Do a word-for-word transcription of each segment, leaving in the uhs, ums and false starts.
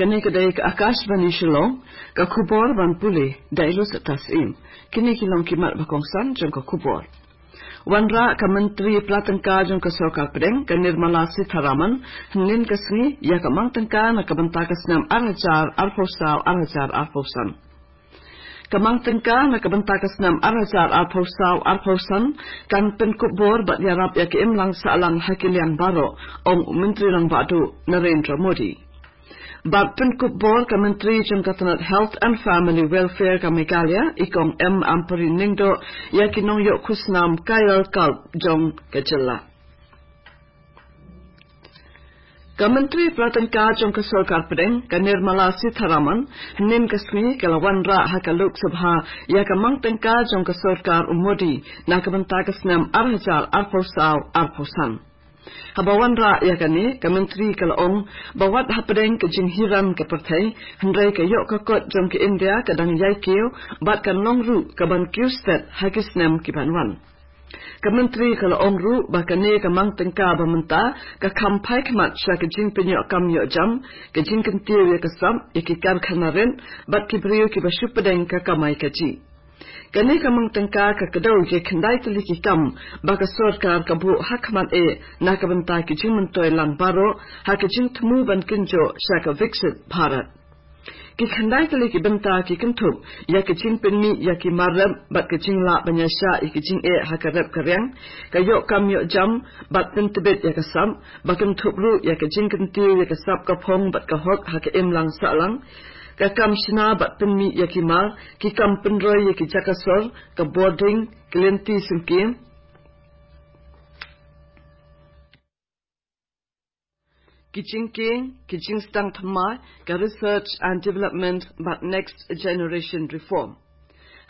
Kane ka dei ka Akashvani Shillong, ka khubor ban pule da i Lucy Tasim. Kine ki long ki mat ba kongsan jong ka khubor. Wanrah ka Myntri Pla Tyngka jong ka Sorkar Pdeng, ka Nirmala Sitharaman, hynnin ka sngi ïa ka mang tyngka na ka bynta ka snem ar hajar arphew saw ar hajar arphew san. Ka mang tyngka na ka bynta ka snem ar hajar arphew saw arphew san kan pynkup bor bad ïarap ïa ka imlang sahlang ha ki liang baroh, ong u Myntri Rangbah Duh Narendra Modi. Bad pynkup bor ka Myntri jong ka tnat Health and Family Welfare ka Meghalaya, i Kong M Ampareen Lyngdoh, ïa ki nongïoh khusnam Kayakalp jong ka jylla. Ka Myntri Pla Tyngka jong ka Sorkar Pdeng, ka Nirmala Sitharaman, hynnin ka sngi ka la wanrah ha ka Lok Sabha ïa ka mang tyngka jong ka Sorkar u Modi na ka bynta ka snem ar hajar arphew saw arphew san. Haba wanrah ïa kane, ka Myntri ka la ong ba wat hapdeng ka jinghiran ka pyrthei, hynrei ka ïoh ka kot jong ka India ka dang ïai kiew bad kan long ruh ka ban kiew stet ha ki snem ki ban wan. Ka Myntri ka la ong ruh ba kane ka mang tyngka ba mynta ka kham phai khmat sha ka jingpynïoh kam ïoh jam, ka jingkyntiew ïa ka sap ïa ki karkhana rit bad ki briew kiba shu pdeng ka kamai kajih. Kane ka mang tyngka ka kdew ïa ki khyndai tylli ki kam ba ka Sorkar ka buh ha khmat eh na ka bynta ki jingmyntoi lang baroh ha ka jingthmu ban kynjoh sha ka Viksit Bharat. Ki khyndai tylli ki bynta ki kynthup ïa ka jingpynmih ïa ki mar rep bad ka jinglah ban ïaishah ïa ki jingeh ha ka rep ka riang, ka ïoh kam ïoh jam bad pyntbit ïa ka sap, ba kynthup ruh ïa ka jingkyntiew ïa ka sap ka phong bad ka hok ha ka imlang sahlang, ka kam shna bad pynmih ïa ki mar, ki kam pynroi ïa ki jaka sor, ka bording, ki lynti syngkien, ki jingkieng, ki jingsdang thymmai, ka research and development bad next generation reform.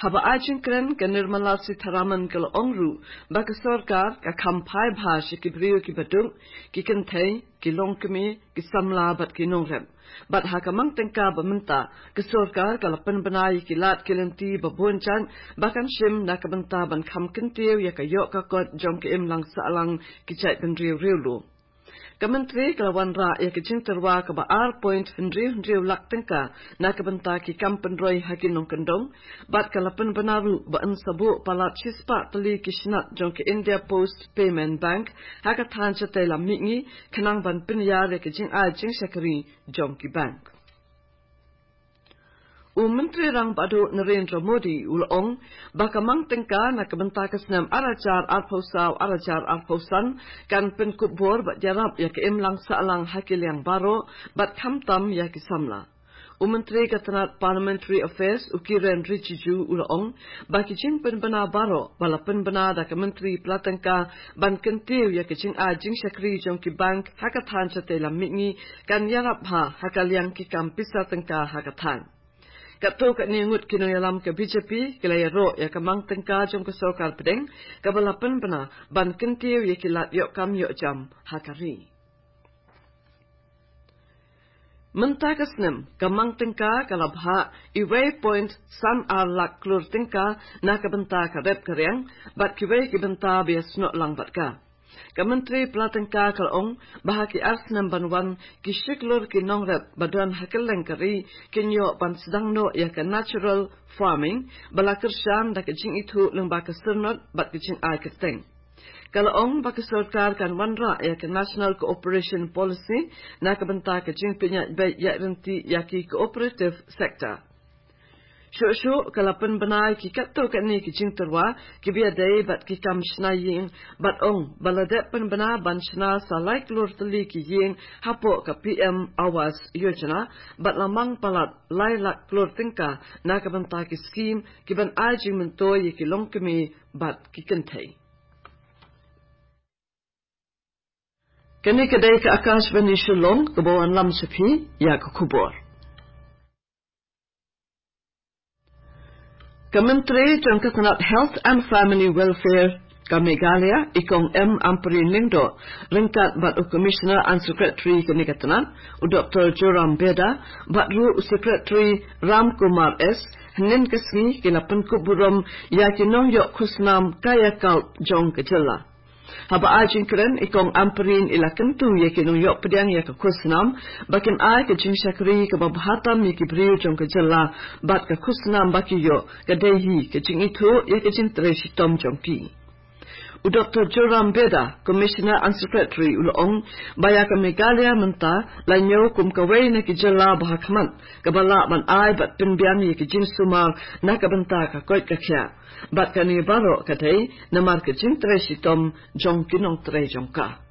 Haba ai jingkren, ka Nirmala Sitharaman ka la ong ruh ba ka Sorkar ka kham phai bha sha ki briew kiba duk, ki kynthei, ki longkmie, ki samla bad ki nongrep. Bad ha ka mang tyngka ba mynta, ka Sorkar ka la pynbna ïa ki lad ki lynti ba bun jait ba kan shim na ka bynta ban kham kyntiew ïa ka ïoh ka kot jong ka imlang sahlang ki jait bynriew riewlum. Ka Myntri ka la wanrah ïa ka jingtyrwa kaba ar point hynriew hynriew lak tyngka na ka bynta ki kam pynroi ha ki nongkyndong, bad ka la pynbna ruh ba yn sa buh palat shispah tylli ki shnat jong ka India Post Payment Bank ha ka thaiñ shatei lam mihngi, khnang ban pynïar ïa ka jingai jingshakri jong ki bank. U Myntri Rangbah Duh Narendra Modi u la ong ba ka mang tyngka na ka bynta ka snem ar hajar arphew saw ar hajar arphew san kan pynkup bor bad ïarap ïa ka imlang sahlang ha ki liang baroh bad khamtam ïa ki samla. U Myntri ka tnat Parliamentary Affairs u Kiren Rijiju u la ong ba ki jingpynbna baroh ba la pynbna da ka Myntri Pla Tyngka ban kyntiew ïa ka jingai jingshakri jong ki bank ha ka thaiñ shatei lam mihngi kan ïarap bha ha ka liang ki kam pisa tyngka ha ka thaiñ. Katto katne ngut ki nongïalam ka B J P ki la ïaroh ïa ka mang tyngka jong ka Sorkar Pdeng kaba la pynbna ban kyntiew ïa ki lad ïoh kam ïoh jam ha ka ri. Mynta ka snem ka mang tyngka ka la bhah iwei point san ar lak klur tyngka na ka bynta ka rep ka riang bad kiwei ki bynta ba ïasnoh lang bad ka. Ka Myntri Pla Tyngka ka la ong ba ha ki ar snem ban wan ki shi klur ki nongrep ba don ha kylleng ka ri kin ïoh ban sdang noh ïa ka natural farming ba la kyrshan da ka jingithuh lyngba ka syrnod bad ka jingai kyrteng. Ka la ong ba ka Sorkar kan wanrah ïa ka National Cooperation Policy na ka bynta ka jingpynïaid beit ïaid ryntih ïa ki cooperative sector. Shuh shuh ka la pynbna ïa ki katto katne ki jingtyrwa kiba ïadei bad ki kam shna ïing bad ong ba la dep pynbna ban shna sa lai klur tylli ki ïing hapoh ka P M Awas Yojana bad la mang palat lai lak klur tyngka na ka bynta ki skhim kiban ai jingmyntoi ïa ki longkmie bad ki kynthei. Kane ka dei ka Akashvani Shillong kaba wanlam sha phi ïa ka khubor. Ka Myntri jong ka tnat Health and Family Welfare, ka Meghalaya, i Kong M Ampareen Lyngdoh, ryngkat bad u Commissioner and Secretary kane ka tnat, u Doktor Joram Beda, bad ruh u Secretary Ram Kumar S, hynnin ka sngi ki la pynkup burom ïa ki nongïoh khusnam kayakalp jong ka jylla. Haba ai jingkren, i Kong Ampareen i la kyntu ïa ki nongïoh pdiang ïa ka khusnam ba kin ai ka jingshakri kaba bha tam ïa ki briew jong ka jylla, bad ka khusnam ba ki ïoh ka dei hi ka jingithuh ïa ka jingtrei shitom jong ki. U Doktor Joram Beda, Commissioner and Secretary, u la ong ba ïa ka Meghalaya mynta la ñiew kum kawei na ki jylla ba ha khmat kaba lah ban ai bad pynbiang ïa ki jingsumar na ka bynta ka koit ka khiah. Bad kane baroh ka dei namar ka jingtrei shitom jong ki nongtrei jong ka.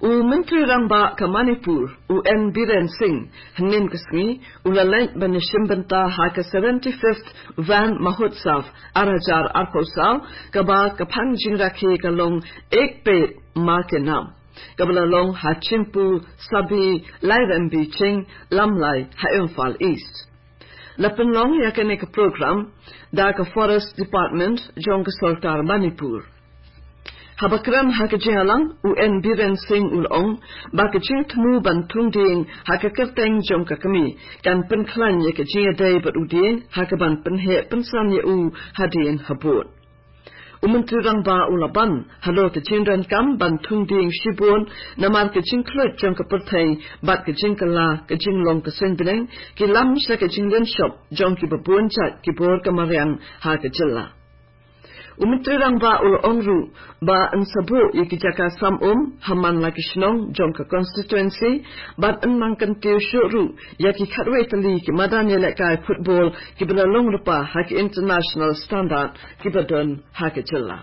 U Myntri Rangbah ka Manipur, u N Biren Singh, hynnin ka sngi u la leit ban ïashim bynta ha ka seventy-fifth Van Mahotsav ar hajar arphew saw, kaba ka phan jingrakhe ka long Ek Ped Maa Ke Naam, kaba la long ha Chimpu Sabi Lairembi Ching Lamlai ha Imphal East. La pynlong ïa kane ka program da ka Forest Department jong ka sorkar Manipur. Haba kren ha ka jingïalang, u N Biren Singh u la ong ba ka jingthmu ban thung dieng ha ka kyrteng jong ka kmie kan pynkhlaiñ ïa ka jingïadei bad u dieng ha kaban pynheh pynsan ïa u hadien habud. U Myntri Rangbah u la ban halor ka jingdonkam ban thung dieng shibun namar ka jingkhluit jong ka pyrthei bad ka jingkylla ka jinglong ka suiñ bneng ki lam sha ka jinglynshop jong kiba bun jait ki bor ka mariang ha ka jylla. U Myntri Rangbah u la ong ruh ba yn sa buh ïa ki jaka sam um ha man la ki shnong jong ka constituency, bad yn nang kyntiew shuh ruh ïa ki khatwei tylli ki madan ïalehkai football kiba la long lypa ha ki international standard kiba don ha ka jylla.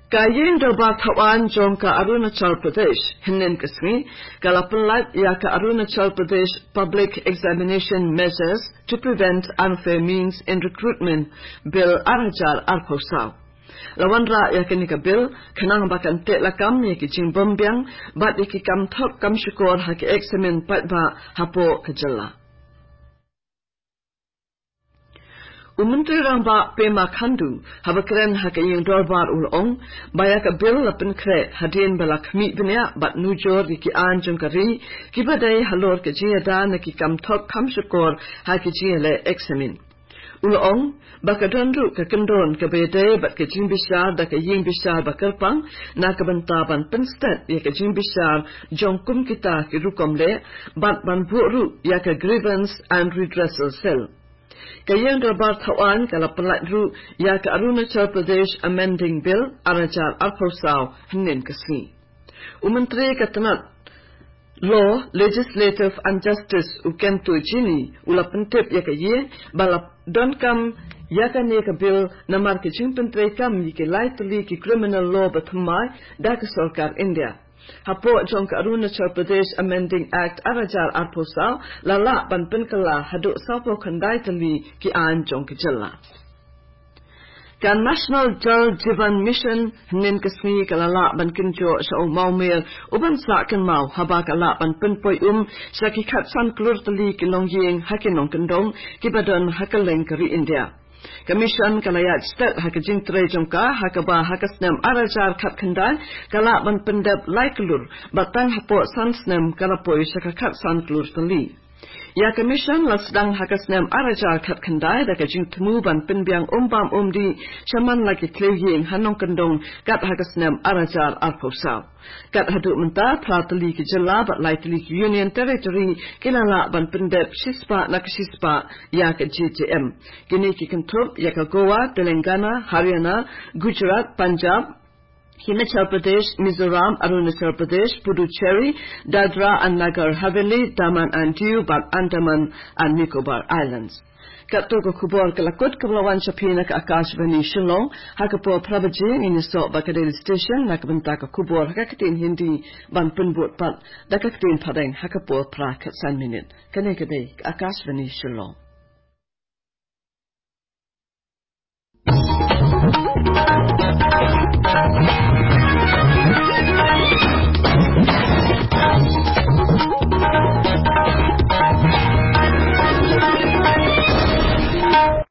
Ka Ïing Dorbar Thawaiñ jong ka Arunachal Pradesh, hynnin ka sngi, ka la pynlait ïa ka Arunachal Pradesh Public Examination Measures to Prevent Unfair Means in Recruitment Bill ar hajar arphew saw. La wanrah ïa kane ka bill khnang ba kan teh lakam ïa ki jingbymbiang bad ïa ki kam thok kam shukor ha ki eksamin paidbah hapoh ka jylla. U Myntri Rangbah Pema Khandu, haba kren ha ka Ïing Dorbar u la ong ba ïa ka bill la pynkhreh hadien ba la khmih bniah bad nujor ïa ki aiñ jong ka ri kiba dei halor ka jingïada na ki kam thok kam shukor ha ki jingïaleh eksamin. U la ong ba ka don ruh ka kyndon kaba ïadei bad ka jingbishar da ka Ïing Bishar ba kyrpang na ka bynta ban pynstet ïa ka jingbishar jong kum kita ki rukom leh, bad ban buh ruh ïa ka Grievance and Redressal Cell. Ka Ïing Dorbar Thawaiñ ka la pynlait ruh ïa ka Arunachal Pradesh Amending Bill ar hajar arphew saw hynnin ka sngi. U Myntri ka tnat Law, Legislative and Justice, u Kento Jini, u la pyntip ïa ka Ïing ba la donkam ïa kane ka bill namar ka jingpyntreikam ïa ki lai tylli ki criminal law bathymmai da ka sorkar India. Hapoh jong ka Arunachal Pradesh Amending Act ar hajar arphew saw, la lah ban pynkylla haduh sawphew khyndai tylli ki aiñ jong ka jylla. Ka National Jal Jeevan Mission hynnin ka sngi ka la lah ban kynjoh sha u mawmer u ban sah kynmaw haba ka lah ban pynpoi um sha ki khatsan klur tylli ki longïing ha ki nongkyndong kiba don ha kylleng ka ri India. Ka mission ka la ïaid stet ha ka jingtrei jong ka ha kaba ha ka snem ar hajar khatkhyndai ka lah ban pyndep lai klur, bad tang hapoh san snem ka la poi sha ka khatsan klur tylli. Ïa ka mission la sdang ha ka snem ar hajar khatkhyndai da ka jingthmu ban pynbiang um bam um dih sha man la ki thliew ïing ha nongkyndong kat ha ka snem ar hajar arphew saw. Kat haduh mynta, phra tylli ki jylla bad lai tylli ki Union Territory ki la lah ban pyndep shispah na ka shispah ïa ka J J M. Kine ki kynthup ïa ka Goa, Telangana, Haryana, Gujarat, Punjab, Himachal Pradesh, Mizoram, Arunachal Pradesh, Puducherry, Dadra and Nagar Haveli, Daman and Diu bad Andaman and Nicobar Islands. Katto ka khubor ka la kut kaba la wan sha phi na ka Akashvani Shillong. Ha ka por phra baje ngin ïasoh bad ka Delhi Station na ka bynta ka khubor ha ka ktien Hindi, ban pynbud pat da ka ktien Phareng ha ka por phra khatsan minit. Kane ka dei ka Akashvani Shillong.